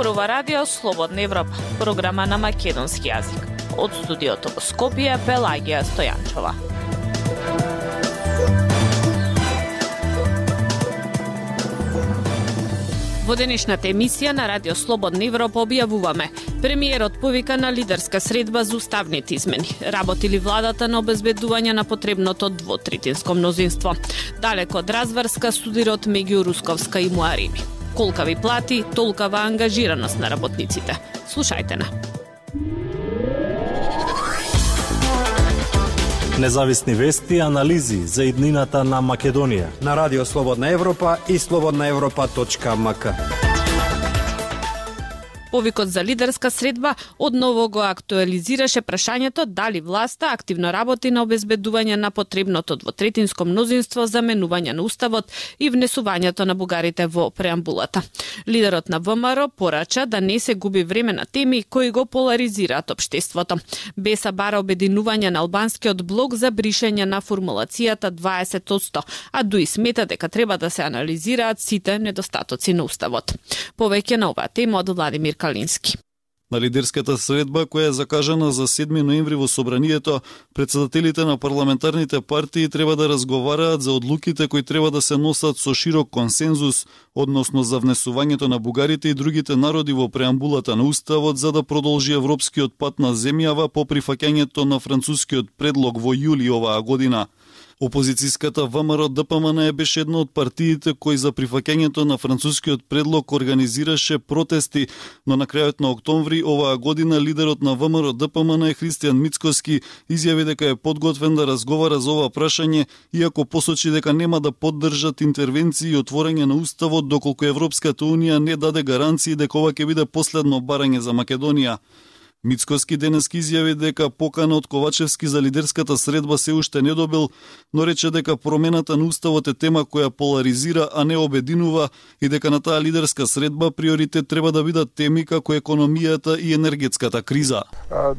Зборува Радио Слободна Европа, програма на македонски јазик. Од студиото во Скопје, Пелагија Стојанчова. Во денешната емисија на Радио Слободна Европа објавуваме: премиерот повика на лидерска средба за уставните измени. Работи ли владата на обезбедување на потребното двотретинско мнозинство? Далеко од разврска судирот меѓу Русковска и Муарими. Колкави плати, толкава ангажираност на работниците. Слушајте на. Независни вести и анализи за иднината на Македонија на Радио Слободна Европа и slobodnaevropa.mk. Повикот за лидерска средба одново го актуализираше прашањето дали власта активно работи на обезбедување на потребното двотретинско мнозинство за менување на уставот и внесувањето на бугарите во преамбулата. Лидерот на ВМРО порача да не се губи време на теми кои го поларизираат општеството. Беса бара обединување на албанскиот блок за бришење на формулацијата 20%, а дуи смета дека треба да се анализираат сите недостатоци на уставот. Повеќе на оваа тема од Владимир Калински. На лидерската средба која е закажана за 7 ноември во собранието, претседателите на парламентарните партии треба да разговараат за одлуките кои треба да се носат со широк консензус, односно за внесувањето на бугарите и другите народи во преамбулата на уставот за да продолжи европскиот пат на земјава по прифаќањето на францускиот предлог во јули оваа година. Опозицијската ВМРО ДПМН беше една од партиите кои за прифаќањето на францускиот предлог организираше протести, но на крајот на октомври оваа година лидерот на ВМРО ДПМН Христијан Мицкоски изјави дека е подготвен да разговара за ова прашање, иако посочи дека нема да поддржат интервенции и отворање на уставот доколку Европската унија не даде гаранции дека ова ќе биде последно барање за Македонија. Мицкоски денески изјави дека покана од Ковачевски за лидерската средба се уште не добил, но рече дека промената на уставот е тема која поларизира, а не обединува и дека на таа лидерска средба приоритет треба да бидат теми како економијата и енергетската криза.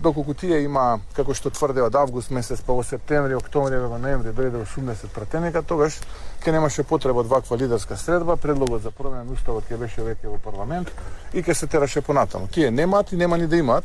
Доколку тие има, како што тврде од август месец, па во септември, октомври, ноември дојде 80 пратеника, тогаш ќе немаше потреба од ваква лидерска средба, предлогот за промена на уставот ќе беше веќе во парламент и ќе се тераше понатаму. Тие немаат и нема ни да имаат,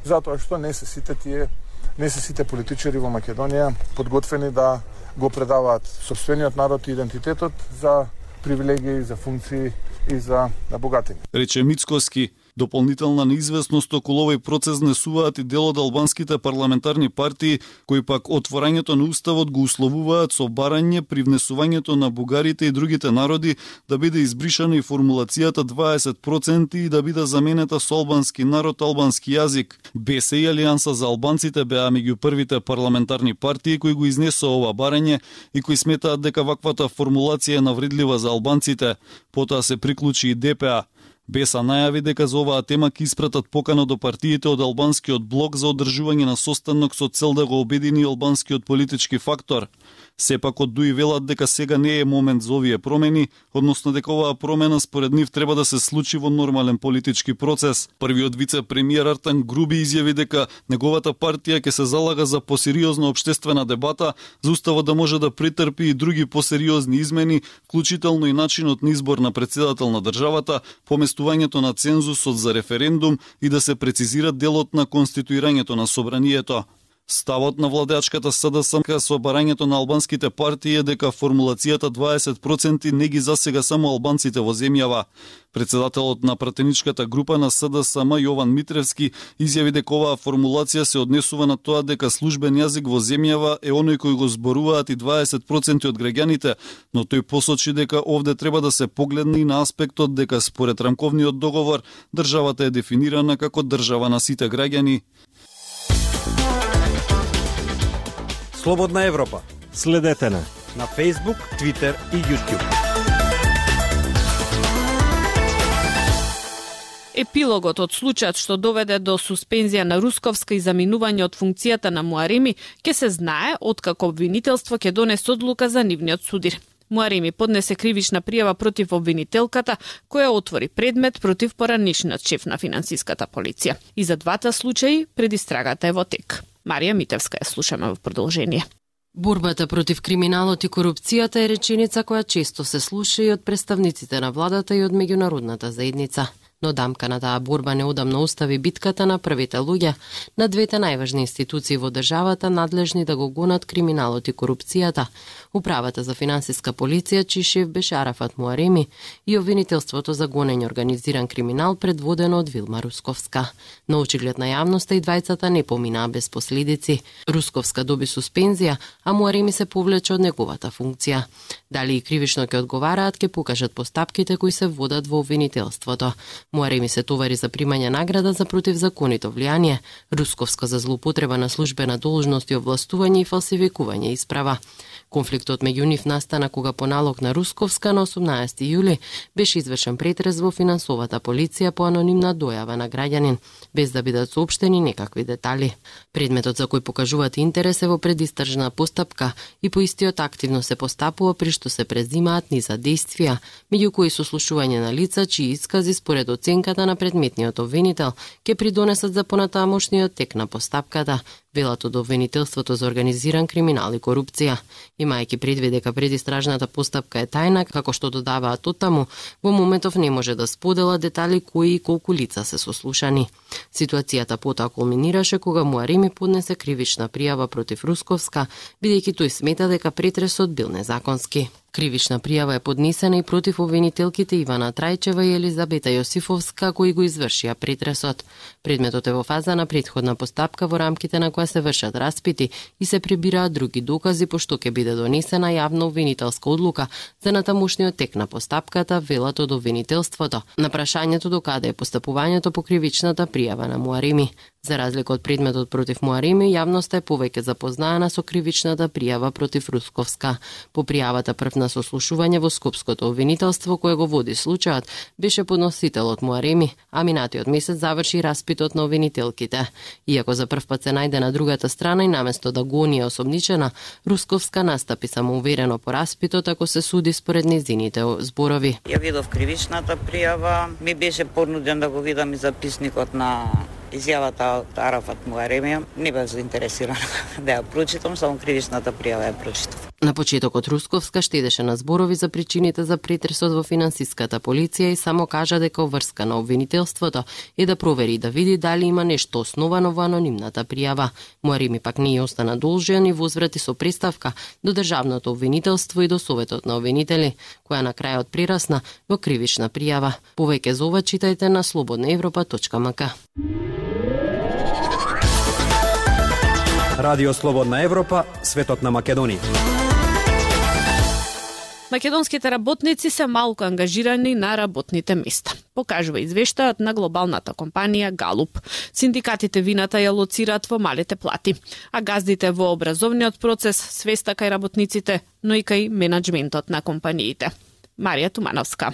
затоа што не се сите политичари во Македонија подготвени да го предаваат сопствениот народ и идентитетот за привилегии, за функции и за богатини. Рече Мицкоски. Дополнителна неизвестност околу овој процес несуваат и дел од албанските парламентарни партии, кои пак отворањето на уставот го условуваат со барање при внесувањето на бугарите и другите народи да биде избришана и формулацијата 20% и да биде заменета со албански народ, албански јазик. БС и Алијанса за албанците беа меѓу првите парламентарни партии кои го изнесоа ова барање и кои сметаат дека ваквата формулација е навредлива за албанците. Потоа се приклучи и ДПА. Беса најави дека за оваа тема ќе испратат покана до партиите од албанскиот блок за одржување на состанок со цел да го обедини албанскиот политички фактор. Сепак од ДУИ велат дека сега не е момент за овие промени, односно дека оваа промена според нив треба да се случи во нормален политички процес. Првиот вице-премиер Артан Груби изјави дека неговата партија ќе се залага за посериозна општествена дебата, за уставот да може да претрпи и други посериозни измени, вклучително и начинот на избор на председател на државата, поместувањето на цензусот за референдум и да се прецизира делот на конституирањето на собранието. Ставот на владеачката СДСМ со барањето на албанските партии е дека формулацијата 20% не ги засега само албанците во земјава. Председателот на пратеничката група на СДСМ Јован Митревски изјави дека оваа формулација се однесува на тоа дека службен јазик во земјава е оној кој го зборуваат и 20% од граѓаните, но тој посочи дека овде треба да се погледне и на аспектот дека според рамковниот договор државата е дефинирана како држава на сите граѓани. Слободна Европа. Следете на Facebook, Twitter и YouTube. Епилогот од случајот што доведе до суспензија на Русковска и заминување од функцијата на Муарими ќе се знае откако обвинителство ќе донесе одлука за нивниот судир. Муарими поднесе кривична пријава против обвинителката, која отвори предмет против поранешниот шеф на финансиската полиција. И за двата случаи предистрагата е во тек. Марија Митевска ја слушаме во продолжение. Борбата против криминалот и корупцијата е реченица која често се слуша и од представниците на владата и од меѓународната заедница. но дамка на таа борба неодамно остави битката на првите луѓе на двете најважни институции во државата надлежни да го гонат криминалот и корупцијата, Управата за финансиска полиција, чиј шеф беше Арафат Муареми, и обвинителството за гонење организиран криминал предводено од Вилма Русковска. На очиглед на јавноста и двајцата не поминаа без последици. Русковска доби суспензија, а Муареми се повлече од неговата функција. Дали и кривично ќе одговараат, ќе покажат постапките кои се водат во обвинителството. Муареми се товари за примање награда за противзаконито влијание, Русковска за злоупотреба на службена должност и овластување и фалсификување исправа. Конфликтот меѓу нив настана кога по налог на Русковска на 18 јули беше извршен претрес во финансовата полиција по анонимна дојава на граѓанин, без да бидат соопштени некакви детали. Предметот за кој покажуваат интерес е во предистражна постапка и по истиот активно се постапува при што се презимаат низа действија, меѓу кои сослушување на лица чии искази според оценката на предметниот обвинител ќе придонесат за понатамошниот тек на постапката, велат од обвинителството за организиран криминал и корупција. Имајќи предвид дека предистражната постапка е тајна, како што додаваат оттаму, во моментов не може да сподела детали кои и колку лица се сослушани. Ситуацијата потоа кулминираше кога Муареми поднесе кривична пријава против Русковска, бидејќи тој смета дека претресот бил незаконски. Кривична пријава е поднесена и против обвинителките Ивана Трајчева и Елизабета Јосифовска, кои го извршија претресот. Предметот е во фаза на претходна постапка во рамките на која се вршат распити и се прибираат други докази, пошто ќе биде донесена јавна обвинителска одлука за натамошниот тек на постапката, велат од обвинителството, на прашањето докаде е постапувањето по кривичната пријава на Муареми. За разлика од предметот против Муареми, јавноста е повеќе запознаена со кривичната пријава против Русковска. По пријавата прв на сослушување во Скопското обвинителство кое го води случајот беше подносителот Муареми, а минатиот месец заврши распитот на обвинителките. Иако за прв пат се најде на другата страна и наместо да го оние осомничена, Русковска настапи самоуверено по распитот ако се суди според незините зборови. Ја видов кривичната пријава, ми беше понуден да го видам и записникот на изјавата од Арафат Муареми. Не бев заинтересирана да ја прочитам, само кривичната пријава ја прочитав. На почетокот Русковска штедеше на зборови за причините за претресот во финансиската полиција и само кажа дека врска на обвинителството е да провери и да види дали има нешто основано во анонимната пријава. Муареми пак не ја остана должен и возврати со представка до државното обвинителство и до Советот на обвинители, која на крајот прерасна во кривична пријава. Повеќе за ова читајте на slobodnaevropa.mk. Радио Слободна Европа, светот на Македонија. Македонските работници се малку ангажирани на работните места, покажува извештајот на глобалната компанија Галуп. Синдикатите вината ја лоцираат во малите плати, а газдите во образовниот процес свеста кај работниците, но и кај менаџментот на компаниите. Марија Тумановска.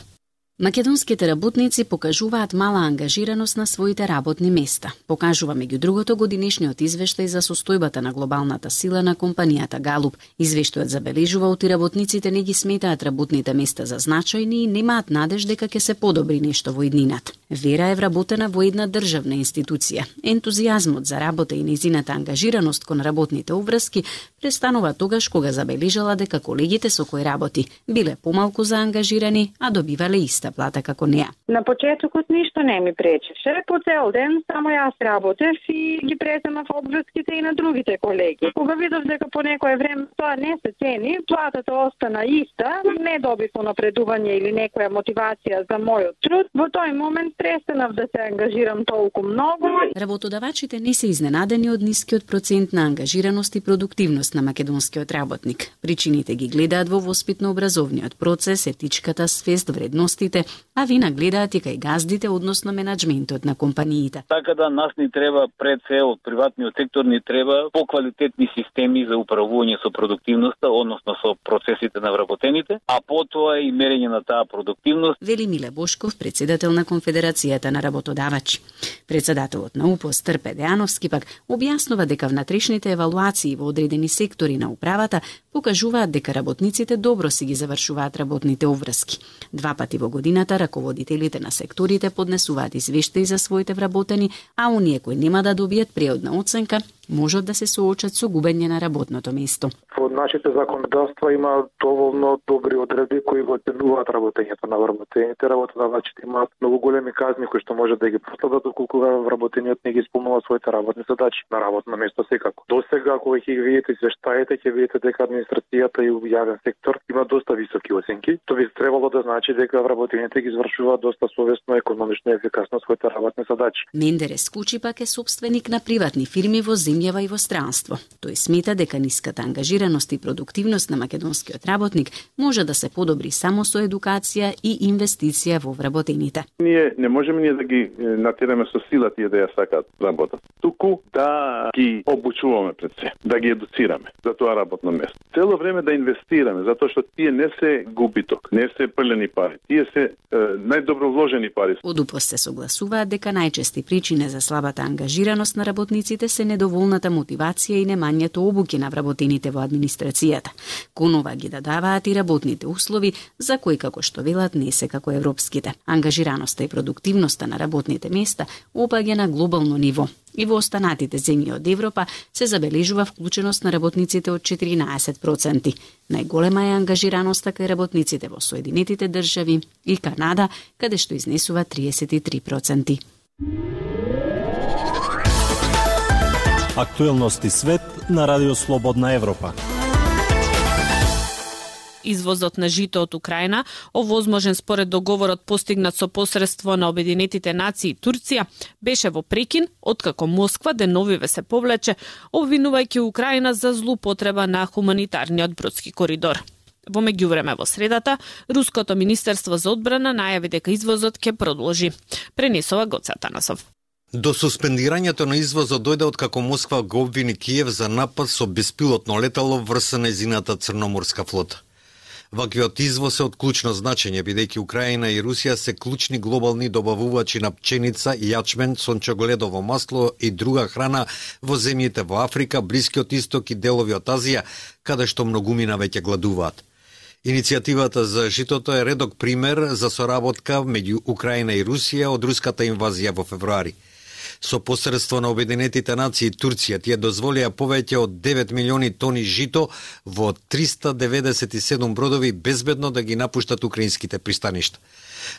Македонските работници покажуваат мала ангажираност на своите работни места. Покажува меѓу другото годинешниот извештај за состојбата на глобалната сила на компанијата Галуп. Извештајот забележува оти работниците не ги сметаат работните места за значајни и немаат надеж дека ќе се подобри нешто во иднината. Вера е вработена во една државна институција. Ентузијазмот за работа и незината ангажираност кон работните обврски престанува тогаш кога забележала дека колегите со кои работи биле помалку заангажирани, а добивале иста плата како неа. На почетокот ништо не ми пречеше. По цел ден само јас работев и ги преземав обврските и на другите колеги. Кога видов дека по некое време тоа не се цени, платата остана иста, не добив напредување или некоја мотивација за мојот труд, во тој момент престанав да се ангажирам толку многу. Работодавачите не се изненадени од нискиот процент на ангажираност и продуктивност на македонскиот работник. Причините ги гледаат во воспитно-образовниот процес, етичката свест, вредностите, а вина гледаат и кај газдите, односно менаџментот на компаниите. Така да нас ни треба пред се од приватниот сектор ни треба поквалитетни системи за управување со продуктивноста, односно со процесите на вработените, а потоа и мерење на таа продуктивност. Вели Миле Бошков, председател на Конфедерацијата на работодавачи. Председателот на УПОС Трпе Дејановски пак објаснува дека внатрешните евалуации во одредени сектори на управата покажуваат дека работниците добро си ги завршуваат работните обврски. Два пати во годината раководителите на секторите поднесуваат извештаи за своите вработени, а оние кои нема да добијат преодна оценка можат да се соочат со губење на работното место. Во нашите законодавства има доволно добри одредби кои го оценуваат работењето на вработените. Работодавачите имаат многу големи казни кои што може да ги последат доколку вработениот не ги исполнува своите работни задачи на работно место секако. Досега кога ќе видите извештаите, ќе видите дека администрацијата и јавен сектор има доста високи оценки. Тоа би требало да значи дека вработените ги извршуваат доста совесно, економично и ефикасно своите работни задачи. Мендерес Кучи пак е сопственик на приватни фирми во земјава и во странство. Тој смета дека ниската ангажираност и продуктивност на македонскиот работник може да се подобри само со едукација и инвестиција во вработените. Ние не можеме да ги натераме со сила тие да ја сакаат работат. Туку да ги обучуваме пред се, да ги едуцираме за тоа работно место. Цело време да инвестираме, затоа што тие не се губиток, не се прлени пари. Тие се најдобро вложени пари. Од УПС се согласуваат дека најчести причини за слабата ангажираност на работниците се недоволната мотивација и немањето обуки на вработените во администрацијата. Кон ова ги дадаваат и работните услови, за кои, како што велат, не се како европските. Ангажираноста и продуктивноста на работните места опаѓа на глобално ниво. И во останатите земји од Европа се забележува вклученост на работниците од 14%. Најголема е ангажираноста кај работниците во Соединетите држави и Канада, каде што изнесува 33%. Актуелности свет на Радио Слободна Европа. Извозот на жито од Украина, овозможен според договорот постигнат со посредство на Обединетите нации и Турција, беше во прекин, откако Москва деновиве се повлече, обвинувајќи Украина за злоупотреба на хуманитарниот бродски коридор. Во меѓувреме во средата, Руското министерство за одбрана најави дека извозот ќе продолжи. Пренесува Гоце Атанасов. До суспендирањето на извозот дојде откако Москва го обвини Киев за напад со беспилотно летало врз нејзината црноморска флота. Ваквиот извоз е од клучно значење, бидејќи Украина и Русија се клучни глобални добавувачи на пченица, јачмен, сончогледово масло и друга храна во земјите во Африка, Блискиот Исток и делови од Азија, каде што многумина веќе гладуваат. Иницијативата за житото е редок пример за соработка меѓу Украина и Русија од руската инвазија во февруари. Со посредство на Обединетите нации и Турција тие дозволија повеќе од 9 милиони тони жито во 397 бродови безбедно да ги напуштат украинските пристаништа.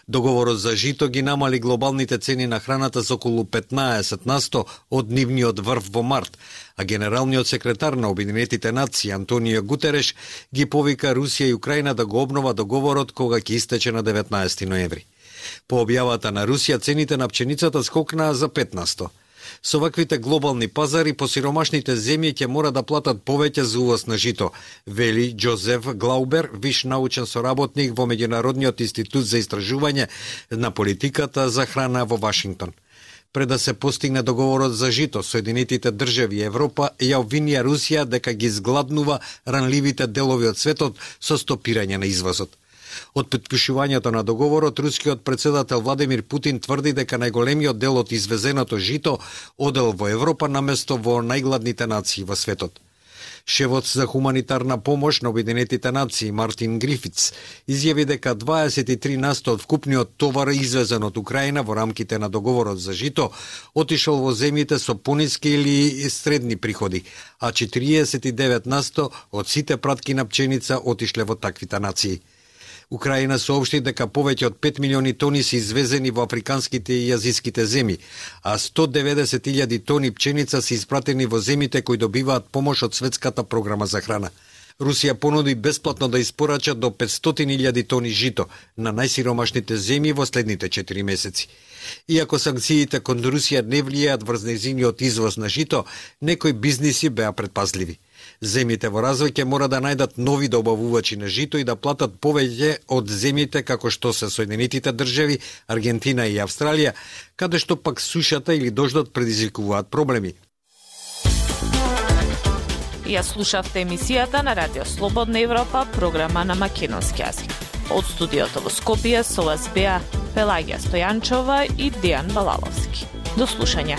Договорот за жито ги намали глобалните цени на храната за околу 15% од нивниот врв во март, а генералниот секретар на Обединетите нации Антонио Гутереш ги повика Русија и Украина да го обнова договорот кога ќе истече на 19 ноември. По објавата на Русија, цените на пченицата скокнаа за 15%. Со ваквите глобални пазари, посиромашните земји ќе мора да платат повеќе за увоз на жито, вели Джозеф Глаубер, виш научен соработник во Меѓународниот институт за истражување на политиката за храна во Вашингтон. Пред да се постигне договорот за жито, Соединетите држави и Европа ја обвинија Русија дека ги згладнува ранливите делови од светот со стопирање на извозот. Од потпишувањето на договорот, рускиот председател Владимир Путин тврди дека најголемиот дел од извезеното жито одел во Европа наместо во најгладните нации во светот. Шефот за хуманитарна помош на Обединетите нации Мартин Грифиц изјави дека 23% од вкупниот товар извезен од Украина во рамките на договорот за жито отишол во земјите со пониски или средни приходи, а 49% од сите пратки на пченица отишле во таквите нации. Украина соопшти дека повеќе од 5 милиони тони се извезени во африканските и азиските земји, а 190.000 тони пченица се испратени во земјите кои добиваат помош од Светската програма за храна. Русија понуди бесплатно да испорача до 500.000 тони жито на најсиромашните земји во следните 4 месеци. Иако санкциите кон Русија не влијаат врз нејзиниот извоз на жито, некои бизниси беа предпазливи. Земјите во развој ќе мора да најдат нови добавувачи на жито и да платат повеќе од земјите како што се Соединетите држави, Аргентина и Австралија, каде што пак сушата или дождот предизвикуваат проблеми. Ја слушавте емисијата на Радио Слободна Европа, програма на македонски јазик. Од студиото во Скопје со вас беа Пелагија Стојанчова и Дејан Балаловски. До слушање.